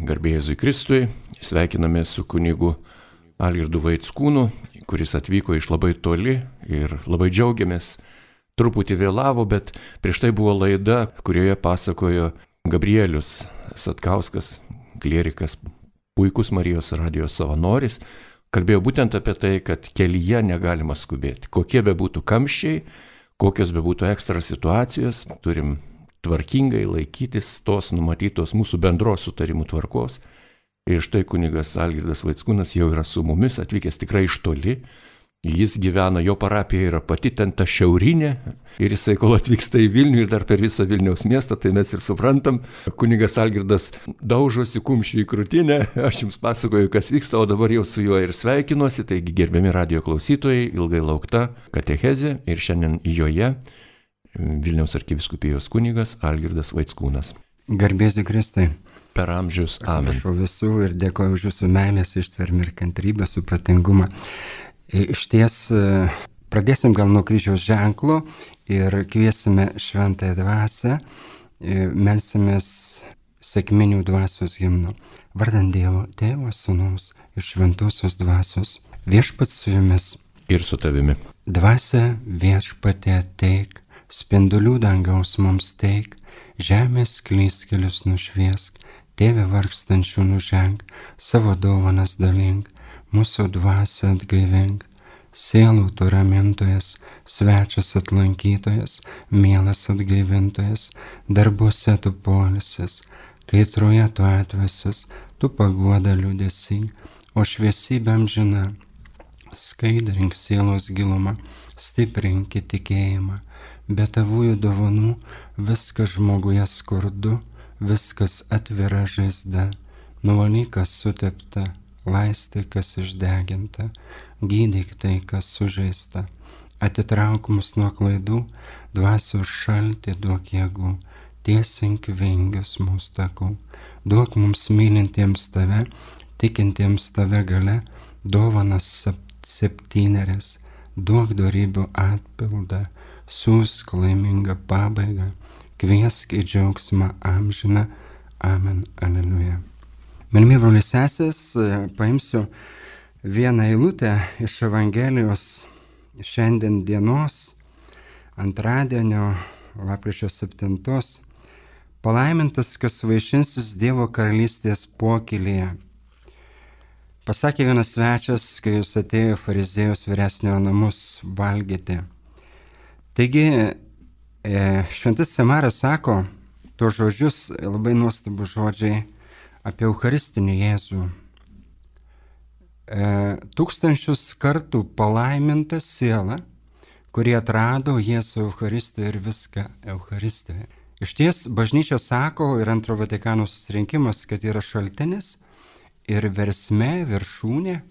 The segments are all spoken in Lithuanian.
Garbė Jėzui Kristui, sveikiname su kunigu Algirdu Vaickūnu, kuris atvyko iš labai toli ir labai džiaugiamės. Truputį vėlavo, bet prieš tai buvo laida, kurioje pasakojo Gabrielius Satkauskas, klierikas, puikus Marijos radijos savanoris. Kalbėjo būtent apie tai, kad kelyje negalima skubėti. Kokie bebūtų kamščiai, kokios bebūtų ekstra situacijos, turim tvarkingai laikytis tos numatytos mūsų bendros sutarimų tvarkos. Ir štai kunigas Algirdas Vaickūnas jau yra su mumis, atvykęs tikrai iš toli. Jis gyvena, jo parapija yra pati ten ta šiaurinė. Ir jisai, kol atvyksta į Vilnių ir dar per visą Vilniaus miestą, tai mes ir suprantam. Kunigas Algirdas daužosi kumščių į krūtinę. Aš jums pasakoju, kas vyksta, o dabar jau su juo ir sveikinuosi. Taigi, gerbiami radijo klausytojai, ilgai laukta katechezė ir šiandien joje Vilniaus arkivyskupijos kunigas Algirdas Vaickūnas. Garbė Jėzui Kristui. Per amžius. Amen. Atsiprašau visų ir dėkoju už jūsų meilės, ištvermę ir kantrybę, supratingumą. Iš ties, pradėsim gal nuo kryžiaus ženklo ir kviesime šventąją dvasią, melsimės sekminių dvasios himnu. Vardant Dievo, Tėvo, Sūnaus ir šventosios dvasios, viešpats su jumis. Ir su tavimi. Dvasia viešpatie ateik, spindulių dangaus mums teik, žemės klystkelius nušviesk, Tėve vargstančių nuženk, savo dovanas dalink, mūsų dvasią atgaivink, sielų tu ramintojas, svečias atlankytojas, mielas atgaivintojas, darbuose tu poilsis, kaitroje tu atvesis, tu paguoda liūdesy, o šviesybė amžina. Skaidrink sielos gilumą, stiprink tikėjimą, be tavųjų dovanų viskas žmoguje skurdu, viskas atvira žaizda, nuvalyk kas sutepta, laistyk kas išdeginta, gydyk tai kas sužeista, atitrauk mus nuo klaidų, dvasios šaltį duok jėgų, tiesink vingius mūsų takų, duok mums mylintiems tave, tikintiems tave gale, dovanas septynerias, duok dorybių atpildą, siųsk laimingą pabaigą, kviesk į džiaugsmą amžiną. Amen. Aleliuja. Mylimi broliai sesės, paimsiu vieną eilutę iš Evangelijos šiandien dienos, antradienio, lapkričio 7. Palaimintas, kas vaišinsis Dievo karalystės pokylyje. Pasakė vienas svečias, kai jis atėjo fariziejos vyresniojo namus valgyti. Taigi, šventas Semaras sako tuos žodžius, labai nuostabus žodžiai apie Eucharistinį Jėzų. 1000 kartų palaiminta siela, kuri atrado Jėzų Eucharistijoje ir viską Eucharistijoje. Iš ties, bažnyčia sako ir Antro Vatikano susirinkimas, kad yra šaltinis ir versmė, viršūnė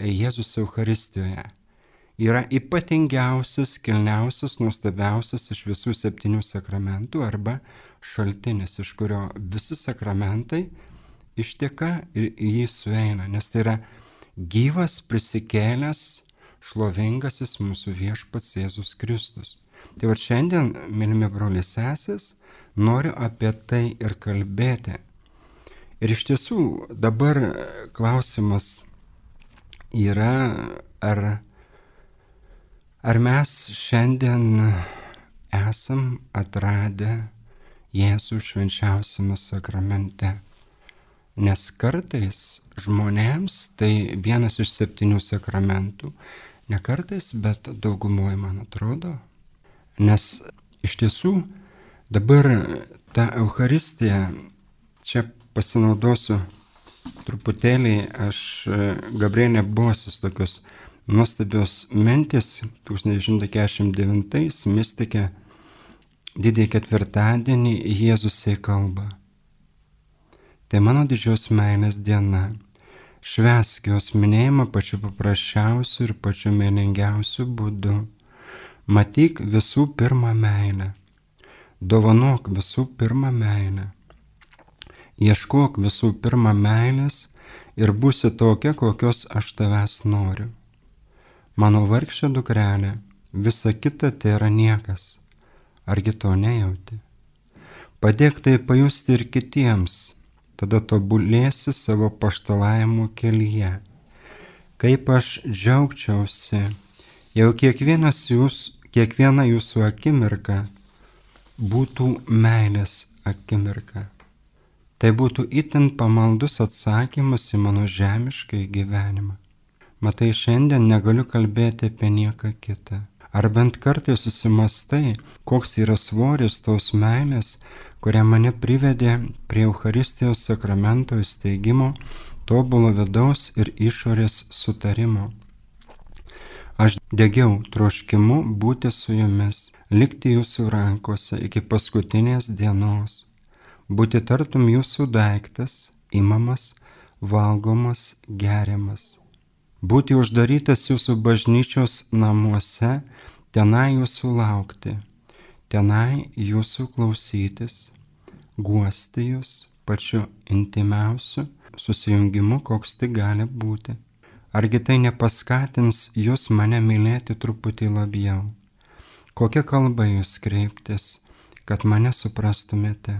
Jėzus Eucharistijoje. Yra ypatingiausias, kilniausias, nuostabiausias iš visų 7 sakramentų arba šaltinis, iš kurio visi sakramentai išteka ir į jį sueina, nes tai yra gyvas, prisikėlęs, šlovingasis mūsų viešpats Jėzus Kristus. Tai va šiandien, mylimi broliai sesės, noriu apie tai ir kalbėti. Ir iš tiesų dabar klausimas yra, ar mes šiandien esam atradę Jėzų švenčiausiame sakramente. Nes kartais žmonėms tai vienas iš 7 sakramentų, ne kartais, bet daugumoje, man atrodo. Nes iš tiesų dabar ta Eucharistija, čia pasinaudosiu truputėlį, aš Gabrielė Bosius tokios nuostabios mintis 1949 mistikė Didįjį ketvirtadienį Jėzusai kalba. Tai mano didžios meilės diena. Švęsk jos minėjimą pačiu paprasčiausiu ir pačiu meningiausiu būdu. Matyk visų pirma meilę. Dovanok visų pirma meilę. Ieškok visų pirma meilės ir būsi tokia, kokios aš tavęs noriu. Mano vargšė dukrelė, visa kita tai yra niekas. Argi to nejauti? Padėk tai pajusti ir kitiems. tada tobulėsi savo paštalavimo kelyje. Kaip aš džiaugčiausi, jau kiekviena jūsų akimirka būtų meilės akimirka. Tai būtų itin pamaldus atsakymas į mano žemišką gyvenimą. Matai, šiandien negaliu kalbėti apie nieką kitą. Ar bent kartai susimastai, koks yra svoris tos meilės, kurią mane privedė prie Eucharistijos sakramento įsteigimo, tobulo vidaus ir išorės sutarimo. Aš degiau troškimu būti su jumis, likti jūsų rankose iki paskutinės dienos, būti tartum jūsų daiktas, imamas, valgomas, geriamas, būti uždarytas jūsų bažnyčios namuose, tenai jūsų laukti, tenai jūsų klausytis, guosti jūs pačiu intimiausiu susijungimu, koks tai gali būti. Argi tai nepaskatins jūs mane mylėti truputį labiau? Kokia kalba jūs kreiptis, kad mane suprastumėte?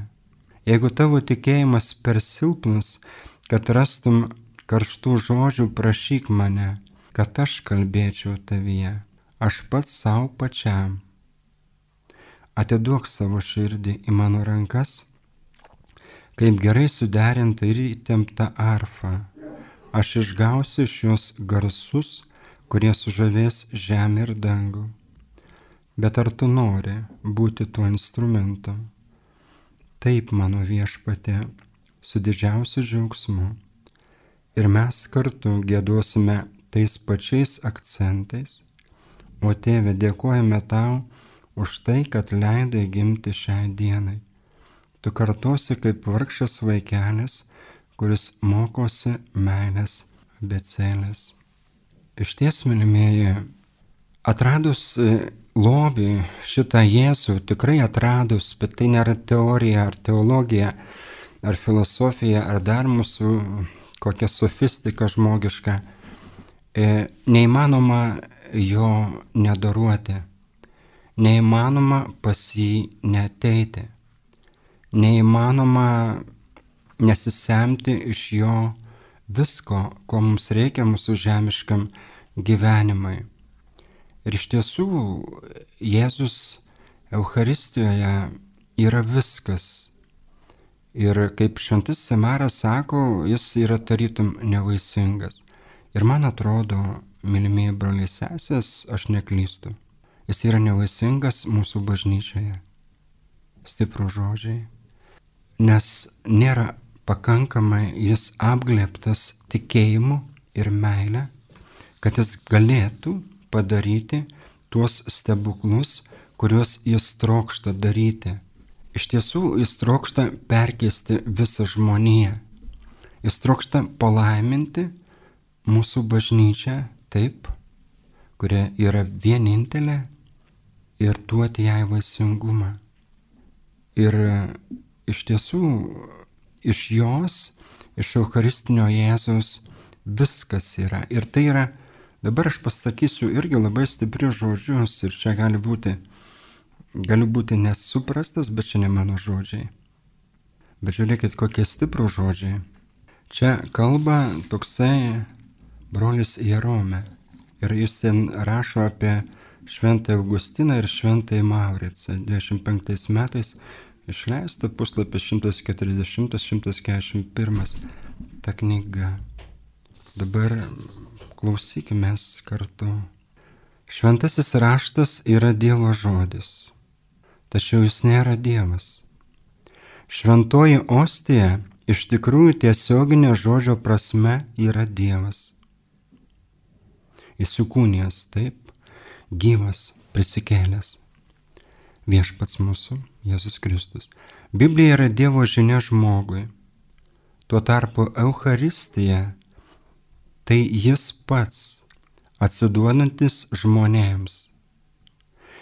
Jeigu tavo tikėjimas per silpnas, kad rastum karštų žodžių, prašyk mane, kad aš kalbėčiau tavyje, aš pats savo pačiam. Atiduok savo širdį į mano rankas, kaip gerai suderinta ir įtempta arfa. Aš išgausiu iš jos garsus, kurie sužavės žemę ir dangų. Bet ar tu nori būti tuo instrumentu? Taip, mano viešpatie, su didžiausiu džiaugsmu. Ir mes kartu giedosime tais pačiais akcentais. O Tėve, dėkojame tau už tai, kad leidai gimti šiai dienai. Tu kartosi kaip vargšas vaikelis, kuris mokosi meilės abėcėlės. Išties, mylimieji, atradus lobį šitą Jėzų, tikrai atradus, bet tai nėra teorija ar teologija, ar filosofija, ar dar mūsų kokia sofistika žmogiška, neįmanoma jo nedaruoti, neįmanoma pas jį neateiti, neįmanoma nesisemti iš jo visko, ko mums reikia mūsų žemiškam gyvenimui. Ir iš tiesų Jėzus Eucharistijoje yra viskas. Ir kaip šventasis Semaras sako, jis yra tarytum nevaisingas. Ir man atrodo, mylimieji broliai sesės, aš neklystu. Jis yra nevaisingas mūsų bažnyčioje. Stiprų žodžiai. Nes nėra pakankamai jis apglėbtas tikėjimu ir meile, kad jis galėtų padaryti tuos stebuklus, kuriuos jis trokšta daryti. Iš tiesų, jis trokšta perkeisti visą žmoniją. Jis trokšta palaiminti mūsų bažnyčią taip, kuria yra vienintelė, ir duoti jai vaisingumą. Ir iš tiesų, iš jos, iš Eucharistinio Jėzaus viskas yra. Ir tai yra, dabar aš pasakysiu irgi labai stiprius žodžius, ir čia galiu būti nesuprastas, bet čia ne mano žodžiai. Bet žiūrėkit, kokie stiprų žodžiai. Čia kalba toksai brolis Jerome. Ir jis ten rašo apie Šventąjį Augustiną ir Šventąjį Mauricą. 25 metais išleista puslapis 140-141 ta knyga. Dabar klausykime kartu. Šventasis raštas yra Dievo žodis, tačiau jis nėra Dievas. Šventoji ostija iš tikrųjų tiesioginė žodžio prasme yra Dievas. Įsikūnijęs, taip, gyvas, prisikėlęs. Viešpats mūsų, Jėzus Kristus. Biblija yra Dievo žinia žmogui. Tuo tarpu Eucharistija tai jis pats, atsiduodantis žmonėms.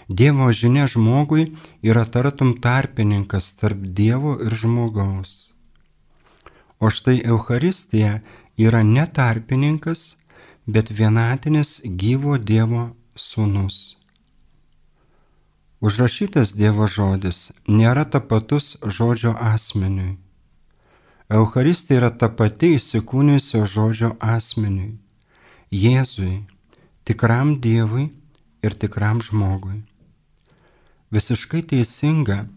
Dievo žinia žmogui yra tartum tarpininkas tarp Dievo ir žmogaus. O štai Eucharistija yra ne tarpininkas, bet vienatinis gyvo Dievo sūnus. Užrašytas Dievo žodis nėra tapatus žodžio asmeniui. Eucharistija yra ta pati įsikūnijusio žodžio asmeniui, Jėzui, tikram Dievui ir tikram žmogui. Visiškai teisinga,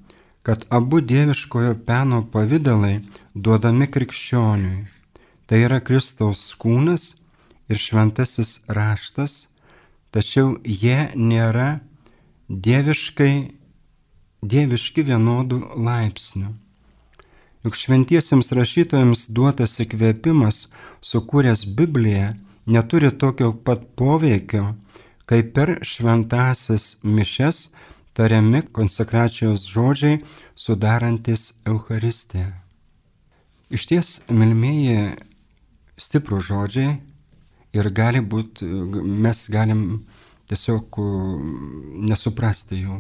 kad abu dieviškojo peno pavidalai duodami krikščioniui. Tai yra Kristaus kūnas ir šventasis raštas, tačiau jie nėra dieviški vienodų laipsnių. Juk šventiesiems rašytojams duotas įkvėpimas, sukūręs Bibliją, neturi tokio pat poveikio, kaip per šventąsias mišias tariami konsekracijos žodžiai sudarantis Eucharistiją. Išties, mylimieji, stiprų žodžiai ir gali būti, mes galim tiesiog nesuprasti jų.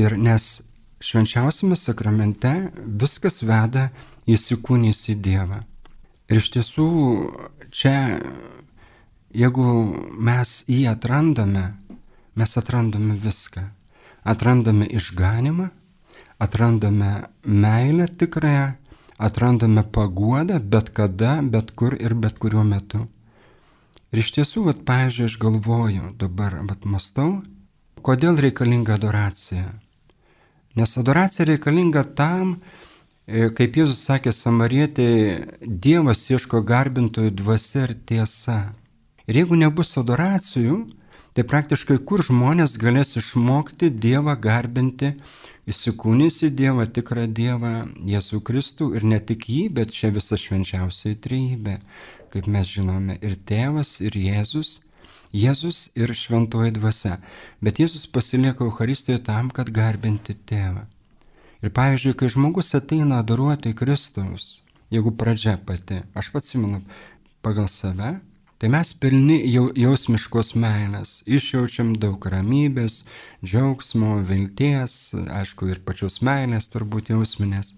Ir nes švenčiausiame sakramente viskas veda įsikūnijusį Dievą. Ir iš tiesų čia, jeigu mes jį atrandame, mes atrandame viską. Atrandame išganimą, atrandame meilę tikrąją, atrandame paguodą bet kada, bet kur ir bet kuriuo metu. Ir iš tiesų, pavyzdžiui, aš galvoju, dabar mąstau, kodėl reikalinga adoracija. Nes adoracija reikalinga tam, kaip Jėzus sakė Samarietei, Dievas ieško garbintojų dvasia ir tiesa. Ir jeigu nebus adoracijų, tai praktiškai kur žmonės galės išmokti Dievą garbinti, įsikūnijusį Dievą, tikrą Dievą, Jėzų Kristų ir ne tik jį, bet čia visa švenčiausioji trejybė, kaip mes žinome, ir Tėvas, ir Jėzus ir šventoji dvasia. Bet Jėzus pasilieka Eucharistijoje tam, kad garbinti Tėvą. Ir pavyzdžiui, kai žmogus ateina adoruoti Kristaus, jeigu pradžia pati, aš atsimenu pagal save, tai mes pilni jausmiškos meilės, išjaučiam daug ramybės, džiaugsmo, vilties, aišku, ir pačios meilės turbūt jausminės.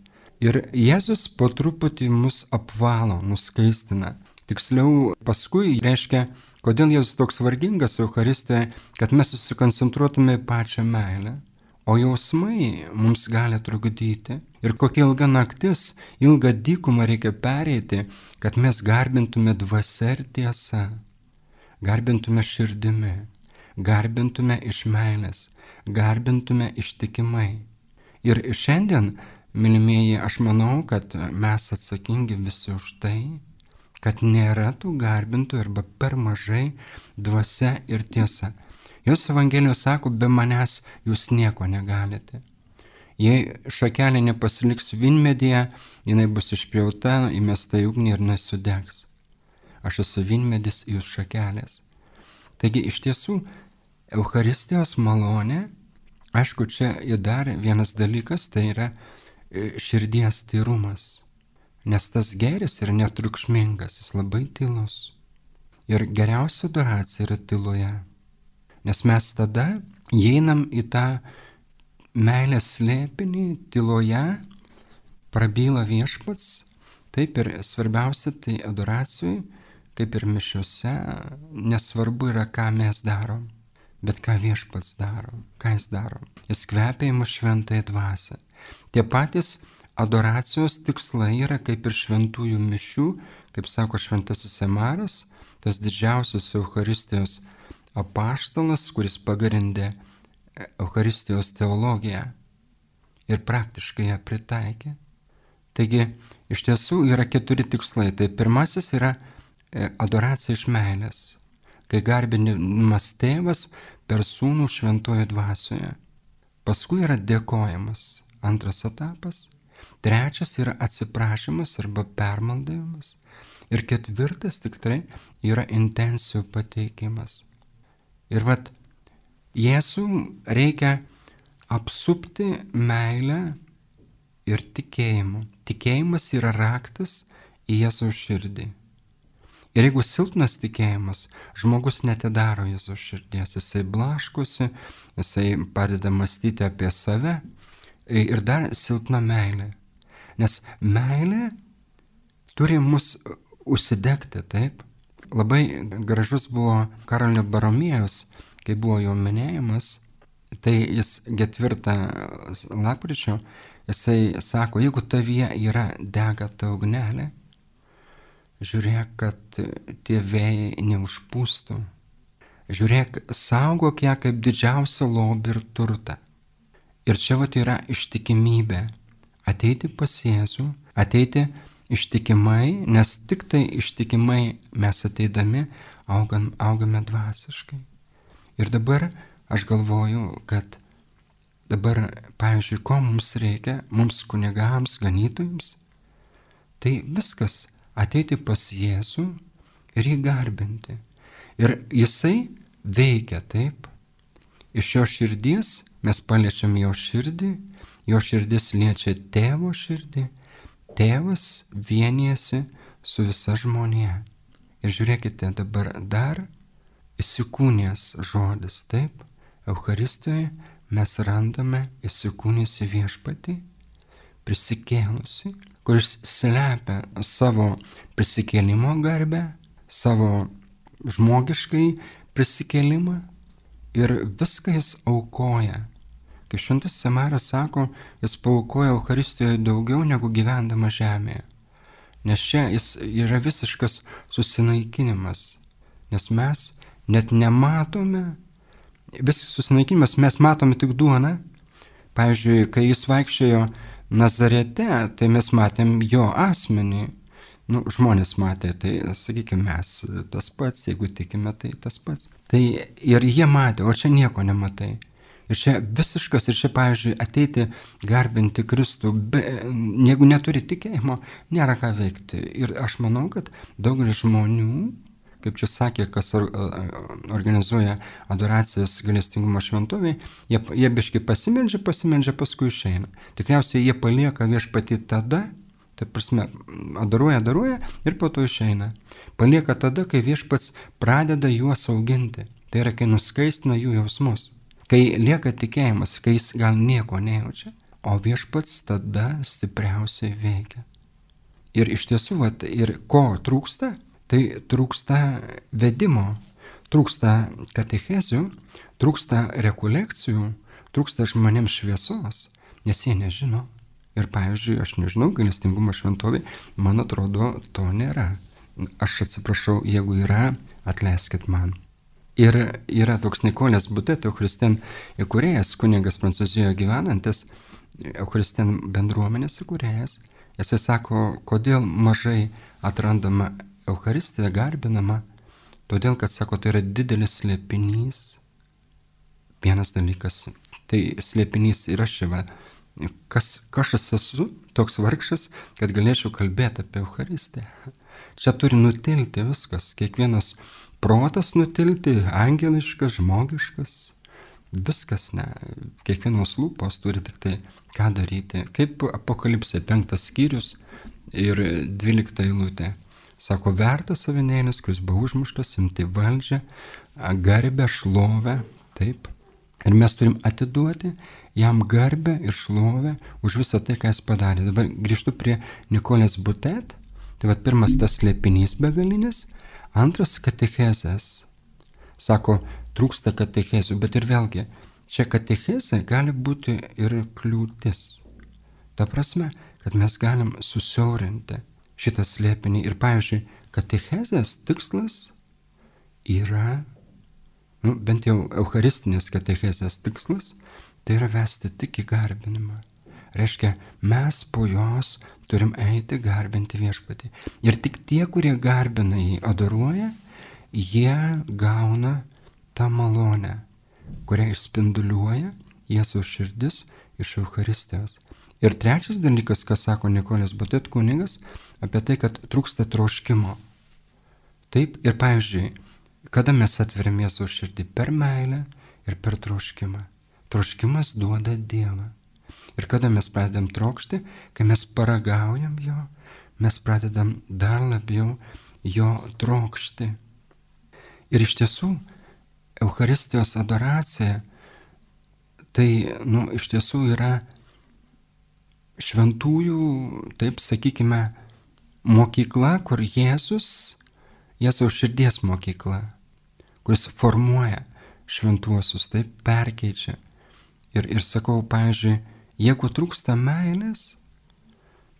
Ir Jėzus po truputį mus apvalo, nuskaistina. Tiksliau, paskui reiškia, kodėl Jėzus toks vargingas Eucharistijoje, kad mes susikoncentruotume į pačią meilę. O jausmai mums gali trukdyti. Ir kokia ilga naktis, ilgą dykumą reikia pereiti, kad mes garbintume dvasia ir tiesa. Garbintume širdimi, garbintume iš meilės, garbintume ištikimai. Ir šiandien, mylimieji, aš manau, kad mes atsakingi visi už tai, kad nėra tų garbintų arba per mažai dvasia ir tiesa. Jos Evangelijos sako, be manęs jūs nieko negalite. Jei šakelė nepasiliks vynmedyje, jinai bus išpjauta, įmesta į ugnį ir nesudegs. Aš esu vynmedis, jūs šakelės. Taigi iš tiesų, Eucharistijos malonė, aišku, čia ir dar vienas dalykas, tai yra širdies tyrumas. Nes tas gėris yra netriukšmingas, jis labai tylus. Ir geriausia adoracija yra tyloje. Nes mes tada įeinam į tą meilės slėpinį, tyloje, prabyla Viešpats, taip ir svarbiausia tai adoracijai, kaip ir mišiuose, nesvarbu yra, ką mes darom, bet ką Viešpats daro, ką jis daro. Jis kvepia į mus šventąją dvasią. Tie patys adoracijos tikslai yra kaip ir šventųjų mišių, kaip sako šventasis Emaras, tas didžiausias Eucharistijos apaštalas, kuris pagrindė Eucharistijos teologiją ir praktiškai ją pritaikė. Taigi, iš tiesų yra 4 tikslai. Tai pirmasis yra adoracija iš meilės, kai garbinimas Tėvas per Sūnų šventoje dvasioje. Paskui yra dėkojimas, antras etapas. Trečias yra atsiprašymas arba permaldavimas. Ir 4 tikrai yra intencijų pateikimas. Ir Jėzų reikia apsupti meilę ir tikėjimu. Tikėjimas yra raktas į Jėzaus širdį. Ir jeigu silpnas tikėjimas, žmogus netidaro Jėzaus širdies, jisai blaškosi, jisai padeda mąstyti apie save ir dar silpna meilė. Nes meilė turi mus užsidegti, taip? Labai gražus buvo Karolio Baromėjaus, kai buvo jo minėjimas, tai jis 4 lapkričio Jisai sako, jeigu tavyje yra dega ta ugnelė, žiūrėk, kad tie vėjai neužpūstų. Žiūrėk, saugok ją kaip didžiausią lobį ir turtą. Ir čia vat yra ištikimybė. Ateiti pas Jėzų, ateiti ištikimai, nes tik tai ištikimai mes ateidami augame dvasiškai. Ir dabar aš galvoju, kad dabar, pavyzdžiui, ko mums reikia, mums kunigams, ganytojams, tai viskas ateiti pas Jėzų ir jį garbinti. Ir jisai veikia taip. Iš jo širdies mes paliečiam jo širdį, jo širdis liečia tėvo širdį, tėvas vienijasi su visa žmonija. Ir žiūrėkite, dabar dar įsikūnės žodis, taip, Eucharistijoje mes randame įsikūnėsi viešpatį, prisikėlusi, kuris slepia savo prisikėlimo garbę, savo žmogiškai prisikėlimą ir viską jis aukoja. Kaip šventas Semaras sako, jis paaukoja Eucharistijoje daugiau negu gyvendama žemėje. Nes čia jis yra visiškas susinaikinimas. Nes mes net nematome, visas susinaikinimas, mes matome tik duoną. Pavyzdžiui, kai jis vaikščiojo Nazarete, tai mes matėm jo asmenį. Žmonės matė, tai sakykime mes tas pats, jeigu tikime, tai tas pats. Tai ir jie matė, o čia nieko nematai. Ir čia visiškas, ir čia, pavyzdžiui, ateiti garbinti Kristų, jeigu neturi tikėjimo, nėra ką veikti. Ir aš manau, kad daugelis žmonių, kaip čia sakė, kas organizuoja adoracijas gailestingumo šventovėje, jie biškai pasimeldžia, paskui išeina. Tikriausiai jie palieka viešpatį tada, tai prasme, adoruoja ir po to išeina. Palieka tada, kai viešpats pradeda juos auginti. Tai yra, kai nuskaistina jų jausmus. Kai lieka tikėjimas, kai jis gal nieko nejaučia, o viešpats tada stipriausiai veikia. Ir iš tiesų, ir ko trūksta? Tai trūksta vedimo, trūksta katechezių, trūksta rekolekcijų, trūksta žmonėms šviesos, nes jie nežino. Ir pavyzdžiui, aš nežinau, gailestingumo šventovė, man atrodo, to nėra. Aš atsiprašau, jeigu yra, atleiskit man. Ir yra toks Nikolės Butet, Eucharistien įkūrėjas, kunigas Prancūzijoje gyvenantis, Eucharistien bendruomenės įkūrėjas. Jisai sako, kodėl mažai atrandama Eucharistija, garbinama. Todėl, kad sako, tai yra didelis slėpinys. Vienas dalykas, tai slėpinys yra šiva. Kas aš esu toks vargšas, kad galėčiau kalbėti apie Eucharistiją. Čia turi nutilti viskas, kiekvienas protas nutilti, angeliškas, žmogiškas, viskas, ne, kiekvienos lūpos turi tik tai ką daryti. Kaip Apokalipsė 5 skyrius ir 12 eilutė. Sako, vertas avinėlis, kuris buvo užmuštas, imti valdžią, garbę, šlovę, taip. Ir mes turim atiduoti jam garbę ir šlovę už visą tai, ką jis padarė. Dabar grįžtu prie Nikolės Butet. Tai pirmas tas slėpinys begalinis, antras katechezės. Sako, trūksta katechezių, bet ir vėlgi, čia katechezė gali būti ir kliūtis. Ta prasme, kad mes galim susiaurinti šitą slėpinį. Ir pavyzdžiui, katechezės tikslas yra, bent jau eucharistinės katechezės tikslas, tai yra vesti tik į garbinimą. Reiškia, mes po jos turim eiti garbinti viešpatį. Ir tik tie, kurie garbina jį, adoruoja, jie gauna tą malonę, kurią išspinduliuoja Jėzaus širdis iš Eucharistijos. Ir trečias dalykas, ką sako Nikolės Butet kunigas, apie tai, kad trūksta troškimo. Taip, ir pavyzdžiui, kada mes atveriam Jėzaus širdį? Per meilę ir per troškimą. Troškimas duoda Dievą. Ir kada mes pradedam trokšti, kai mes paragaujam jo, mes pradedam dar labiau jo trokšti. Ir iš tiesų, Eucharistijos adoracija, tai, iš tiesų yra šventųjų, taip sakykime, mokykla, kur Jėzaus širdies mokykla, kuris formuoja šventuosius, taip perkeičia. Ir sakau, pavyzdžiui, Jeigu trūksta meilės,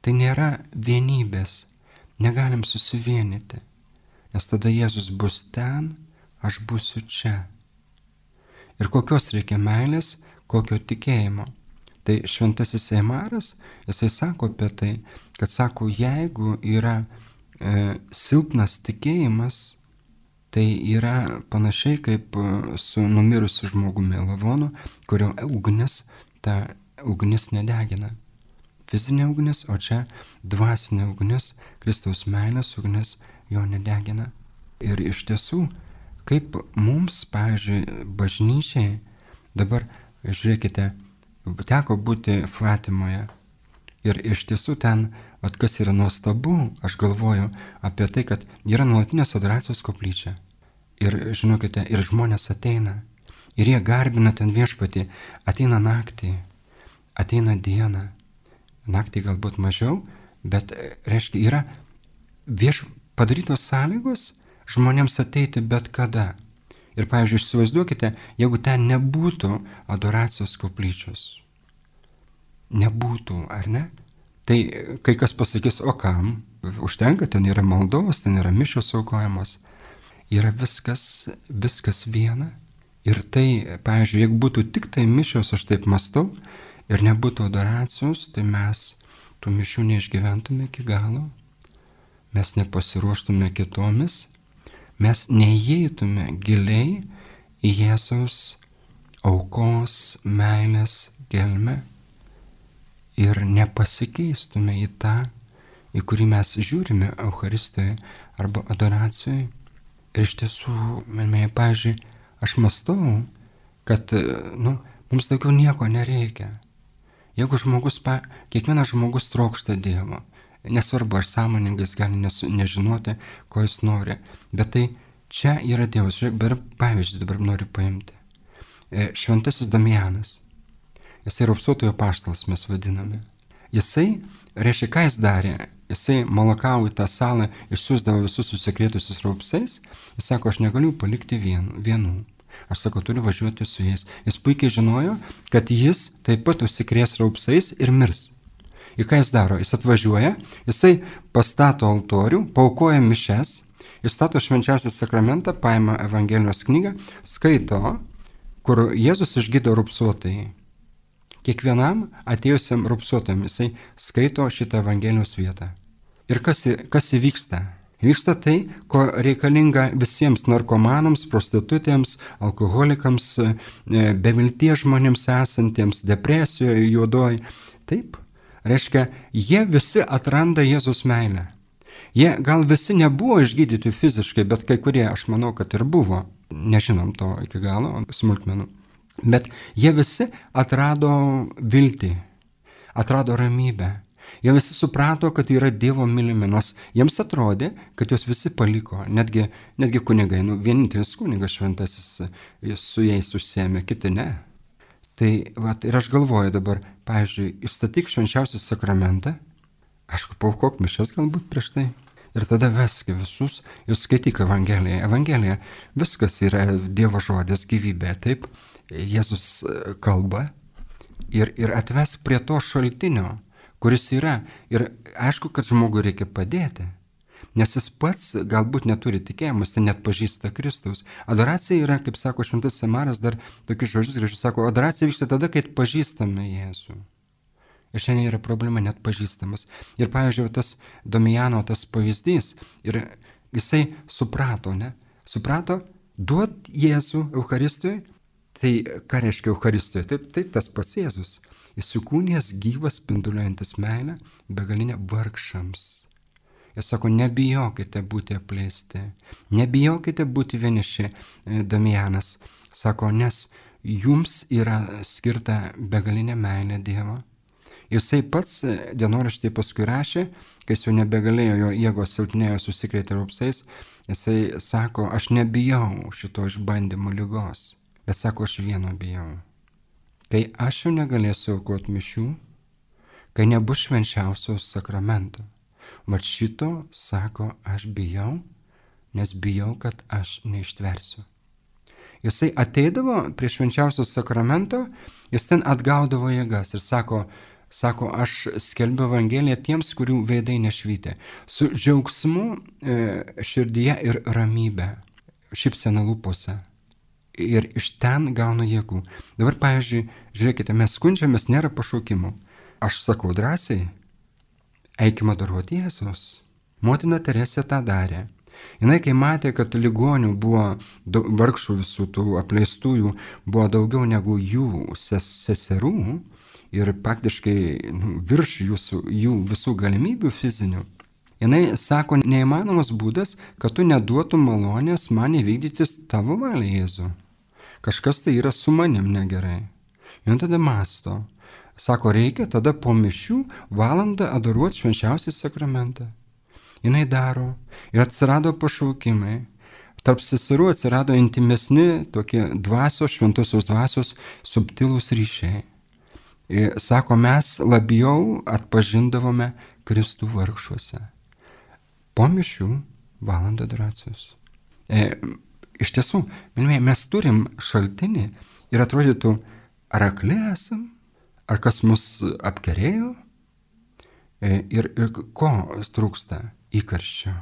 tai nėra vienybės, negalim susivienyti, nes tada Jėzus bus ten, aš būsiu čia. Ir kokios reikia meilės, kokio tikėjimo. Tai šventasis Eimaras, jisai sako apie tai, kad sako, jeigu yra silpnas tikėjimas, tai yra panašiai kaip su numirusiu žmogumi lavonu, kurio ta ugnis nedegina. Fizinė ugnis, o čia dvasinė ugnis, Kristaus meilės ugnis jo nedegina. Ir iš tiesų, kaip mums, pavyzdžiui, bažnyčiai, dabar, žiūrėkite, teko būti Fatimoje. Ir iš tiesų ten, kas yra nuostabu, aš galvoju apie tai, kad yra nuolatinės adoracijos koplyčia. Ir žinokite, ir žmonės ateina. Ir jie garbina ten viešpatį. Ateina naktį, ateina dieną. Naktį galbūt mažiau, bet, reiškia, yra padarytos sąlygos žmonėms ateiti bet kada. Ir, pavyzdžiui, įsivaizduokite, jeigu ten nebūtų adoracijos koplyčios. Nebūtų, ar ne? Tai kai kas pasakys, o kam? Užtenka, ten yra maldos, ten yra mišios aukojamos. Yra viskas viena. Ir tai, pavyzdžiui, jeigu būtų tik tai mišios, aš taip mąstau, ir nebūtų adoracijos, tai mes tų mišių neišgyventume iki galo, mes nepasiruoštume kitomis, mes neįeitume giliai į Jėzaus aukos, meilės gelmę ir nepasikeistume į tą, į kurį mes žiūrime Eucharistijoje arba adoracijoje. Ir iš tiesų, pavyzdžiui, aš mąstau, kad mums daugiau nieko nereikia. Jeigu kiekvienas žmogus trokšta Dievo, nesvarbu, ar sąmoningas gali nežinoti, ko jis nori, bet tai čia yra Dievas. Pavyzdžiui, dabar noriu paimti. Šventasis Damianas. Jisai raupsuotojo apaštalas mes vadiname. Jisai, reiškia, ką jis darė? Jisai Malakau į tą salą išsiųsdavo visus susikrėtusius raupsais. Jis sako, aš negaliu palikti vienų. Aš sakau, turiu važiuoti su jais. Jis puikiai žinojo, kad jis taip pat užsikrės raupsais ir mirs. Ir ką jis daro? Jis atvažiuoja, jisai pastato altorių, paaukoja mišes, įstato švenčiausią sakramentą, paima Evangelijos knygą, skaito, kur Jėzus išgydo raupsuotąjį. Kiekvienam atėjusiam raupsuotam jisai skaito šitą Evangelijos vietą. Ir kas įvyksta? Vyksta tai, ko reikalinga visiems narkomanams, prostitutėms, alkoholikams, bevilties žmonėms esantiems, depresijoje, juodoj. Taip, reiškia, jie visi atranda Jėzus meilę. Jie gal visi nebuvo išgydyti fiziškai, bet kai kurie, aš manau, kad ir buvo. Nežinom to iki galo, smulkmenų. Bet jie visi atrado viltį, atrado ramybę. Jie visi suprato, kad yra Dievo mylimi, nors jiems atrodė, kad juos visi paliko, netgi kunigai, vienintelis kunigas šventasis su jais užsiėmė, kiti ne. Tai ir aš galvoju dabar, pavyzdžiui, išstatyk švenčiausią sakramentą, aišku, paaukok mišias galbūt prieš tai, ir tada vesk visus ir skaityk Evangeliją. Evangelija viskas yra Dievo žodis, gyvybė, taip, Jėzus kalba ir atvesk prie to šaltinio, kuris yra. Ir aišku, kad žmogui reikia padėti, nes jis pats galbūt neturi tikėjimas, tai net pažįsta Kristaus. Adoracija yra, kaip sako šventas Eimaras, dar tokius žodžius gražius sako, adoracija vyksta tada, kai pažįstame Jėzų. Ir šiandien yra problema net pažįstamas. Ir pavyzdžiui, tas Domijano tas pavyzdys, ir jisai suprato, Suprato, duot Jėzų Eucharistijoje. Tai ką reiškia Eucharistijoje? Tai tas pats Jėzus. Įsikūnijęs gyvas, spinduliuojantis meilę, begalinė vargšams. Jis sako, nebijokite būti apleisti, nebijokite būti vieniši, Damianas. Sako, nes jums yra skirta begalinė meilė Dievo. Jisai pats dienoraštyje paskui rašė, kai jis jau nebegalėjo, jo jėgos silpnėjo, susikrėtė raupsais, jisai sako, aš nebijau šito išbandymo ligos, bet sako, aš vieno bijau. Kai aš jau negalėsiu aukoti mišių, kai nebus švenčiausios sakramento. Mat šito, sako, aš bijau, nes bijau, kad aš neištversiu. Jisai ateidavo prie švenčiausio sakramento, jis ten atgaudavo jėgas ir sako, aš skelbiu Evangeliją tiems, kurių veidai nešvytė, su džiaugsmu širdyje ir ramybė, šypsena lūpose. Ir iš ten gaunu jėgų. Dabar, pavyzdžiui, žiūrėkite, mes skundžiamės, nėra pašaukimų. Aš sakau drąsiai, eikime adoruoti Jėzus. Motina Teresė tą darė. Jinai, kai matė, kad ligonių buvo, vargšų visų tų apleistųjų, buvo daugiau negu jų seserų ir praktiškai virš jų visų galimybių fizinių, jinai sako, neįmanomas būdas, kad tu neduotum malonės man įvykdyti tavo valią, Jėzų. Kažkas tai yra su manim negerai. Ir tada masto. Sako, reikia tada po mišių valandą adoruoti švenčiausią sakramentą. Jinai daro. Ir atsirado pašaukimai. Tarp seserų atsirado intimesni tokie dvasios, šventosios dvasios subtilūs ryšiai. Ir sako, mes labiau atpažindavome Kristų vargšuose. Po mišių valandą adoracijos. Iš tiesų, mes turim šaltinį ir atrodytų, ar akli esam, ar kas mus apkerėjo ir ko trūksta įkarščio.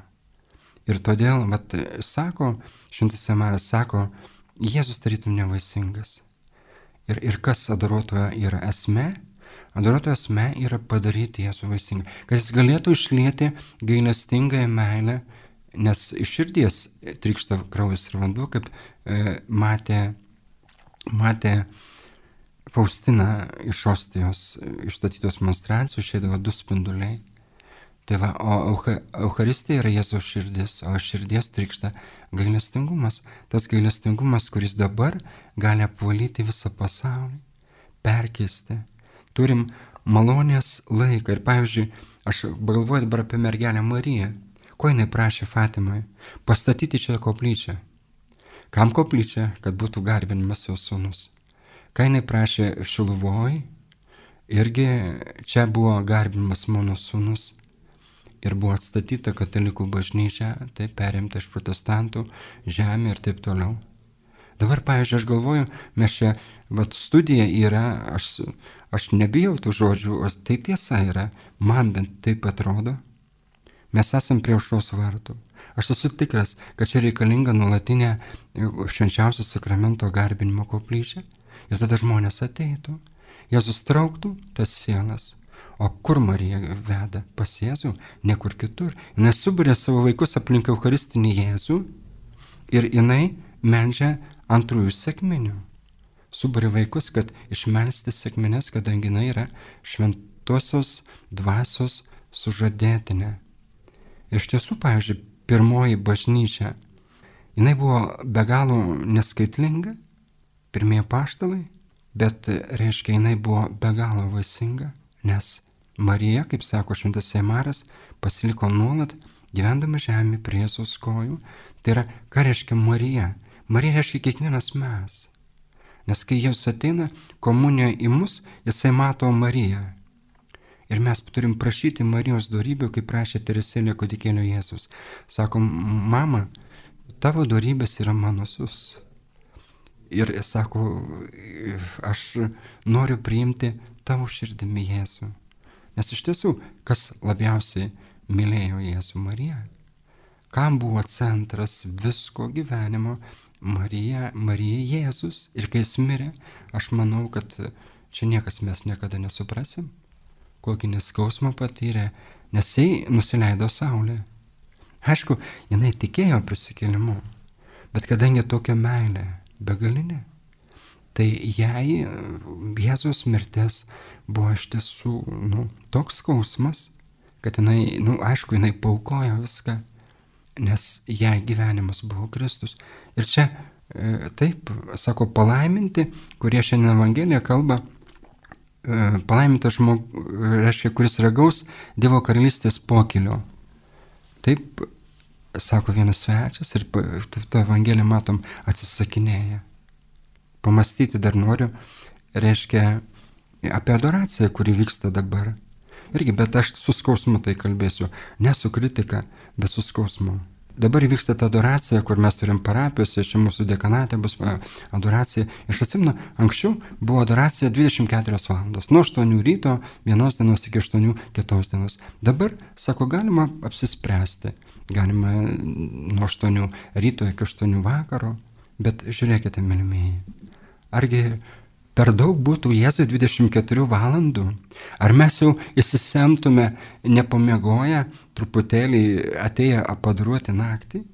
Ir todėl, sako, šventas Amaras sako, Jėzus tarytum nevaisingas. Ir kas adoruotojo yra esmė? Adoruotojo esmė yra padaryti Jėzų vaisingą, kad jis galėtų išlieti gailestingąją meilę, nes iš širdies trykšta kraujas ir vanduo, kaip matė Faustina iš ostijos išstatytos monstrancijos, išeidavo 2 spinduliai. Tai va, o Eucharistija yra Jėzaus širdis, o širdies trykšta gailestingumas. Tas gailestingumas, kuris dabar gali apvalyti visą pasaulį, perkeisti. Turim malonės laiką. Ir pavyzdžiui, aš galvoju dabar apie mergelę Mariją. Ko jinai prašė Fatimai? Pastatyti čia koplyčią. Kam koplyčia? Kad būtų garbinimas jos sūnus. Ką jinai prašė Šiluvoj? Irgi čia buvo garbinimas mano sūnus. Ir buvo atstatyta katalikų bažnyčia, tai perimta iš protestantų žemė ir taip toliau. Dabar, pavyzdžiui, aš galvoju, mes čia, studija yra, aš nebijau tų žodžių, o tai tiesa yra, man bent taip atrodo. Mes esam prie aušros vartų. Aš esu tikras, kad čia reikalinga nuolatinė švenčiausio sakramento garbinimo koplyčia ir tada žmonės ateitų. Jėzus trauktų tas sielas. O kur Marija veda? Pas Jėzų? Niekur kitur. Jis suburė savo vaikus aplink Eucharistinį Jėzų ir jinai meldžia antrųjų sekminių. Suburė vaikus, kad išmelsti sekmines, kadangi jinai yra šventosios dvasios sužadėtinė. Iš tiesų, pavyzdžiui, pirmoji bažnyčia, jinai buvo be galo neskaitlinga, pirmieji apaštalai, bet reiškia, jinai buvo be galo vaisinga, nes Marija, kaip sako šventas Amaras, pasiliko nuolat gyvendama žemė prie Jėzaus kojų. Tai yra, ką reiškia Marija? Marija reiškia kiekvienas mes. Nes kai Jėzus ateina komunijoje į mus, jisai mato Mariją. Ir mes turim prašyti Marijos dorybių, kaip prašė Teresėlė kūdikėlio Jėzus. Sako, mama, tavo dorybės yra mano sūnus. Ir sako, aš noriu priimti tavo širdimi Jėzų. Nes iš tiesų, kas labiausiai mylėjo Jėzų? Mariją. Kam buvo centras visko gyvenimo? Marija Jėzus. Ir kai jis mirė, aš manau, kad čia niekas mes niekada nesuprasim, kokį neskausmą patyrė, nes jis nusileido saulė. Aišku, jinai tikėjo prisikėlimu, bet kadangi tokia meilė begalinė, tai jai Jėzaus mirtis buvo iš tiesų toks skausmas, kad jinai, aišku, jinai paaukojo viską, nes jai gyvenimas buvo Kristus. Ir čia taip, sako, palaiminti, kurie šiandien Evangelija kalba, palaimintas žmogus, reiškia, kuris ragaus Dievo karalystės pokylio. Taip, sako vienas svečias ir tą Evangeliją matom atsisakinėja. Pamastyti dar noriu, reiškia, apie adoraciją, kuri vyksta dabar. Irgi, bet aš su skausmu tai kalbėsiu. Ne su kritika, bet su skausmu. Dabar vyksta ta adoracija, kur mes turim parapijose, čia mūsų dekanate bus adoracija. Aš atsimenu, anksčiau buvo adoracija 24 valandos, nuo 8 ryto vienos dienos iki 8 kitos dienos. Dabar, sako, galima apsispręsti, galima nuo 8 ryto iki 8 vakaro, bet žiūrėkite, mylimieji, argi per daug būtų Jėzui 24 valandų? Ar mes jau įsisemtume nepamiegoję, truputėlį atėję apadruoti naktį?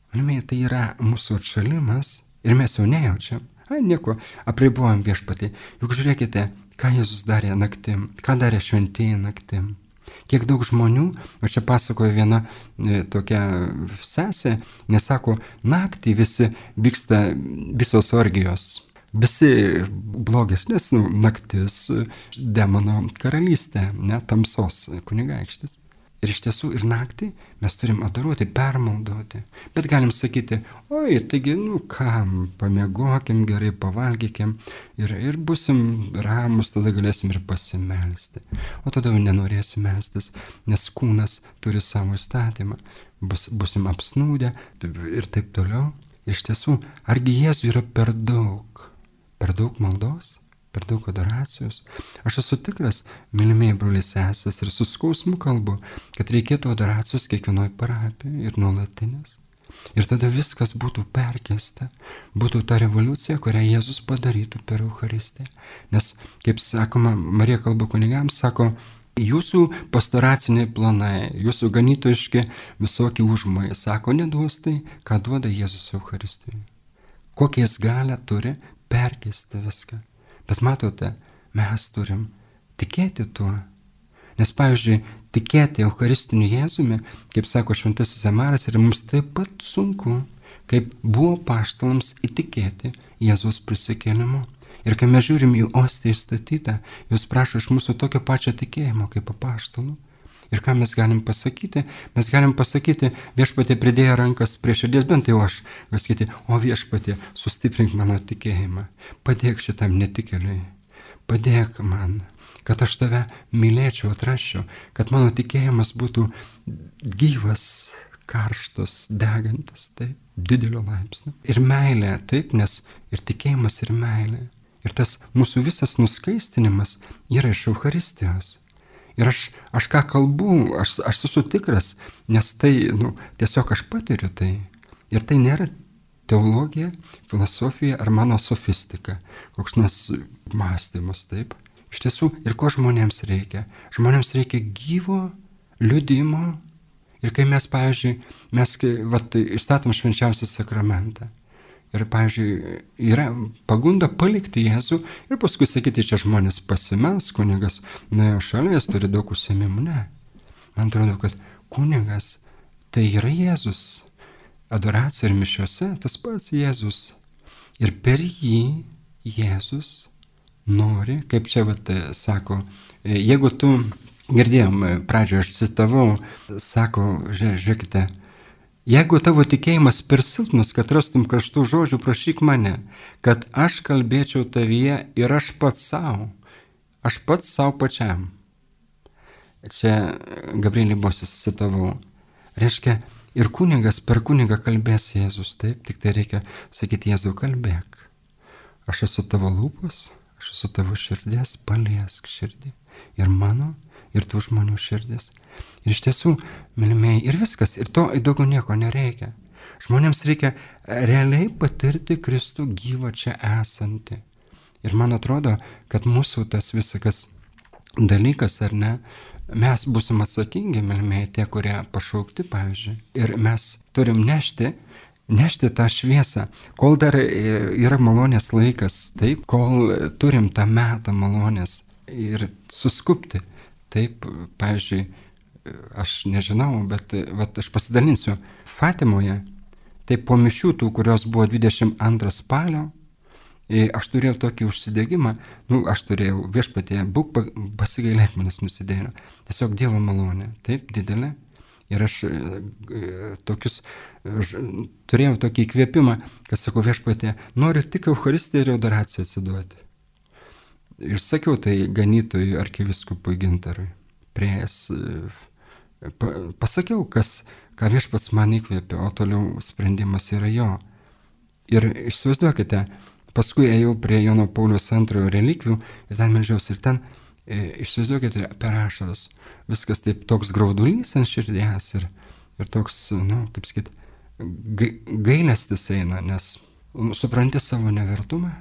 Mylimieji, tai yra mūsų atšalimas ir mes jau nejaučiam. Nieko, apribojam Viešpatį. Juk žiūrėkite, ką Jėzus darė naktim, ką darė šventieji naktim. Kiek daug žmonių, o čia pasakoja viena tokia sesė, nesako, naktį visi vyksta visos orgijos. Visi blogesnės naktis demono karalystė, tamsos kunigaikštis. Ir iš tiesų ir naktį mes turim adoruoti, permaldoti. Bet galim sakyti, oi, taigi, kam, pamiegokim gerai, pavalgykim ir busim ramus, tada galėsim ir pasimelsti. O tada jau nenorėsim melstis, nes kūnas turi savo įstatymą. Busim apsnūdę ir taip toliau. Iš tiesų, argi Jėzui yra per daug maldos, per daug adoracijos? Aš esu tikras, mylimieji broliai sesės, ir su skausmu kalbu, kad reikėtų adoracijos kiekvienoje parapijoje ir nuolatinės. Ir tada viskas būtų perkeista, būtų ta revoliucija, kurią Jėzus padarytų per Eucharistiją. Nes, kaip sakoma, Marija kalba kunigams, sako, jūsų pastoraciniai planai, jūsų ganytojiški visokie užmojai, sako, neduos tai, ką duoda Jėzus Eucharistijoje. Kokią jis galią turi perkeisti viską. Bet matote, mes turim tikėti tuo. Nes, pavyzdžiui, tikėti Eucharistiniu Jėzumi, kaip sako šventasis Emaras, yra mums taip pat sunku, kaip buvo apaštalams įtikėti Jėzaus prisikėlimu. Ir kai mes žiūrim į ostiją įstatytą, jūs prašo iš mūsų tokio pačio tikėjimo kaip apaštalų. Ir ką mes galim pasakyti? Mes galim pasakyti, Viešpatie pridėję rankas prie širdies, bent jau aš, sakyti, o Viešpatie, sustiprink mano tikėjimą, padėk šitam netikėliui, padėk man, kad aš tave mylėčiau, atrasčiau, kad mano tikėjimas būtų gyvas, karštas, degantis, taip, didelio laipsnio. Ir meilė, taip, nes ir tikėjimas, ir meilė. Ir tas mūsų visas nuskaistinimas yra iš Eucharistijos. Ir aš ką kalbu, aš esu tikras, nes tai, tiesiog aš patiriu tai. Ir tai nėra teologija, filosofija ar mano sofistika, koks nors mąstymas, taip. Iš tiesų, ir ko žmonėms reikia? Žmonėms reikia gyvo liudijimo. Ir kai mes, pavyzdžiui, išstatom švenčiausią sakramentą. Ir, pavyzdžiui, yra pagunda palikti Jėzų ir paskui sakyti, čia žmonės pasimels, kunigas, šalia jis turi daug užsiėmimų. Ne. Man atrodo, kad kunigas tai yra Jėzus. Adoracija ir mišiuose tas pats Jėzus. Ir per jį Jėzus nori, kaip čia sako, jeigu tu, girdėjom, pradžioje aš citavau, sako, žiūrėkite, jeigu tavo tikėjimas per silpnas, kad rastum karštų žodžių, prašyk mane, kad aš kalbėčiau tavyje ir aš pats savo pačiam. Čia Gabrielį Bosis citavau. Reiškia, ir kunigas per kunigą kalbės Jėzus, taip, tik tai reikia sakyti, Jėzau, kalbėk. Aš esu tavo lūpos, aš esu tavo širdės, paliesk širdį. Ir mano, ir tų žmonių širdis. Ir iš tiesų, mylimieji, ir viskas, ir to daugiau nieko nereikia. Žmonėms reikia realiai patirti Kristų gyvą čia esantį. Ir man atrodo, kad mūsų tas visakas dalykas, ar ne, mes būsim atsakingi, mylimieji, tie, kurie pašaukti, pavyzdžiui. Ir mes turim nešti tą šviesą, kol dar yra malonės laikas, taip, kol turim tą metą malonės ir suskupti. Taip, pavyzdžiui, aš nežinau, bet aš pasidalinsiu. Fatimoje, tai po mišių tų, kurios buvo 22 spalio, aš turėjau tokį užsidegimą, aš turėjau Viešpatie, būk pasigailėk manęs nusidėjėlio. Tiesiog Dievo malonė, taip, didelė. Ir aš turėjau tokį įkvėpimą, kad sakau, Viešpatie, noriu tik Eucharistiją ir adoraciją atsiduoti. Ir sakiau tai ganytojui arkivyskupui Gintarui, prieėjęs pasakiau, ką viešpats man įkvėpė, o toliau sprendimas yra jo. Ir įsivaizduokite, paskui ėjau prie Jono Pauliaus II relikvių ir ten meldžiausi ir ten, įsivaizduokite, per ašaras. Viskas taip toks graudulys ant širdies ir toks, kaip sakyt, gailestis eina, nes supranti savo nevertumą,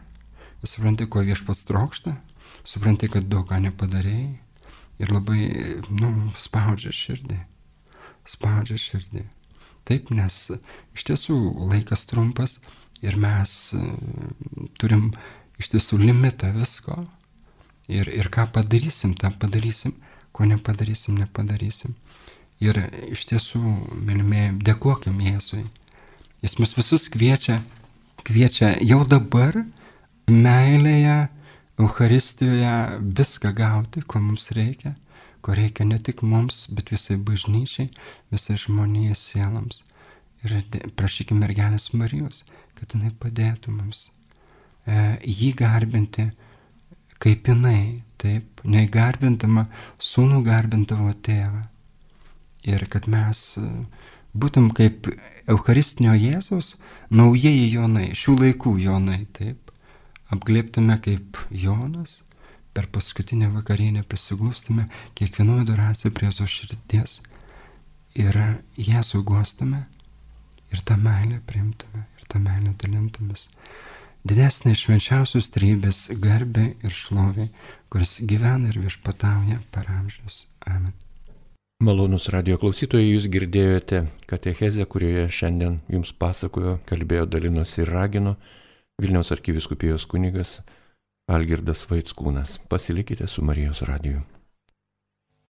supranti, ko viešpats trokšta, supranti, kad daug ką nepadarėjai ir labai, spaudžia širdį. Taip, nes iš tiesų laikas trumpas ir mes turim iš tiesų limitą visko ir ką padarysim, tą padarysim, ko nepadarysim. Ir iš tiesų, mylimieji, dėkokim Jėzui. Jis mus visus kviečia jau dabar meilėje, Eucharistijoje viską gauti, ko mums reikia, ko reikia ne tik mums, bet visai bažnyčiai, visai žmonijai sielams. Ir prašykime mergelės Marijos, kad jinai padėtų mums jį garbinti kaip jinai, taip, neįgarbindama sūnų garbindavo tėvą. Ir kad mes būtum kaip Eucharistinio Jėzaus naujieji Jonai, šių laikų Jonai, taip, apglėptume kaip Jonas, per paskutinę vakarienę prisiglustume kiekvienoje adoracijoje prie Jėzaus širdies ir Jėzų guostume ir tą meilę priimtume ir tą meilę dalintumės. Didesnė švenčiausios trejybės garbė ir šlovė, kuris gyvena ir viešpatauja per amžius. Amen. Malonus radijo klausytojai, jūs girdėjote katechezę, kurioje šiandien jums pasakojo, kalbėjo, dalinosi ir ragino Vilniaus arkivyskupijos kunigas Algirdas Vaickūnas. Pasilikite su Marijos radiju.